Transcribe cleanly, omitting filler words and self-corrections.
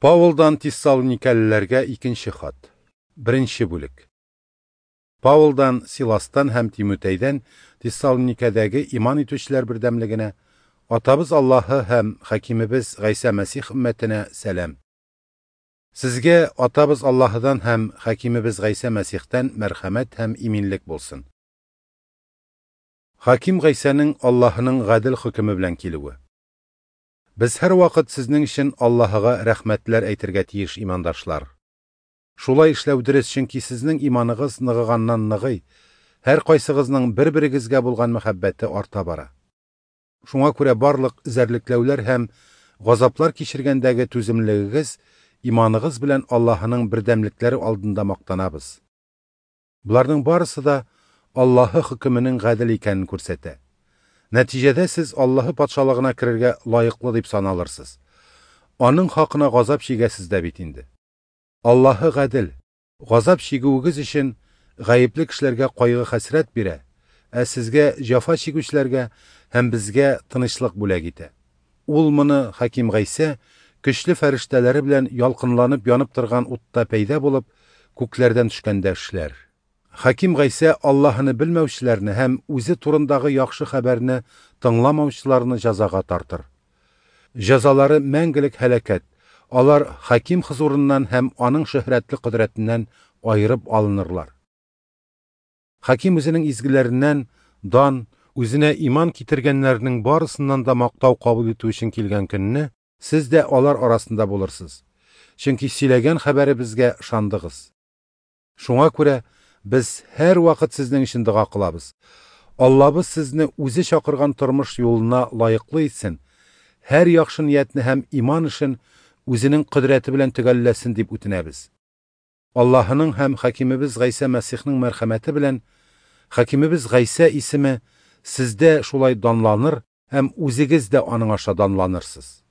Паулдан Тессалоникәлеләргә икенче хат. Беренче бүлек. Паулдан, Силастан һәм Тимутәйдән Тессалоникәдәге иман итүчеләр бердәмлегенә, Атабыз Аллаһы һәм Хакимебез Гайсә Мәсих өммәтенә сәлам. Сезгә Атабыз Аллаһыдан һәм Хакимебез Гайсә Мәсихтән мәрхәмәт һәм иминлек булсын. Хаким Гайсәнең Аллаһының гадел хөкеме белән килүе. Без һәрвакыт сезнең өчен Аллаһыга рәхмәтләр әйтергә тиеш, имандашлар. Шулай эшләү дөрес, чөнки сезнең иманыгыз ныгыганнан ныгый, һәркайсыгызның бер-берегезгә булган мәхәббәте арта бара. Шуңа күрә барлык эзәрлекләүләр һәм газаплар кичергәндәге түземлегегез, иманыгыз белән Аллаһының бердәмлекләре алдында мактанабыз. Боларның барысы да Аллаһы хөкеменең гадел икәнен күрсәтә. Нәтиҗәдә сез Аллаһы патшалыгына керергә лаеклы дип саналырсыз. Аның хакына газап чигәсез дә бит инде. Аллаһы гадел. Газап чигүегез өчен гаепле кешеләргә кайгы-хәсрәт бирә, ә сезгә җәфа чигүчеләргә һәм безгә тынычлык бүләк итә. Ул моны Хаким Гайсә көчле фәрештәләре белән ялкынланып янып торган утта пәйда булып, күкләрдән төшкәндә эшләр. Хаким Гайсә Аллаһыны белмәүчеләрне һәм үзе турындагы яхшы хәбәрне тыңламаучыларны җәзага тартыр. Җәзалары мәңгелек һәлакәт. Алар Хаким хозурыннан һәм аның шөһрәтле кодрәтеннән аерып алынырлар. Хаким үзенең изгеләреннән дан, үзенә иман китергәннәрнең барысыннан да мактау кабул итү өчен килгән көнне сез дә алар арасында булырсыз. Чөнки сөйләгән хәбәребезгә ышандыгыз. Шуңа күрә без һәрвакыт сезнең өчен дога кылабыз. Аллабыз сезне үзе чакырган тормыш юлына лаеклы итсен, һәр яхшы ниятне һәм иман эшен үзенең кодрәте белән төгәлләсен дип үтенәбез. Аллаһының һәм Хакимебез Гайсә Мәсихнең мәрхәмәте белән Хакимебез Гайсә исеме сездә шулай данланыр һәм үзегез дә аның аша данланырсыз.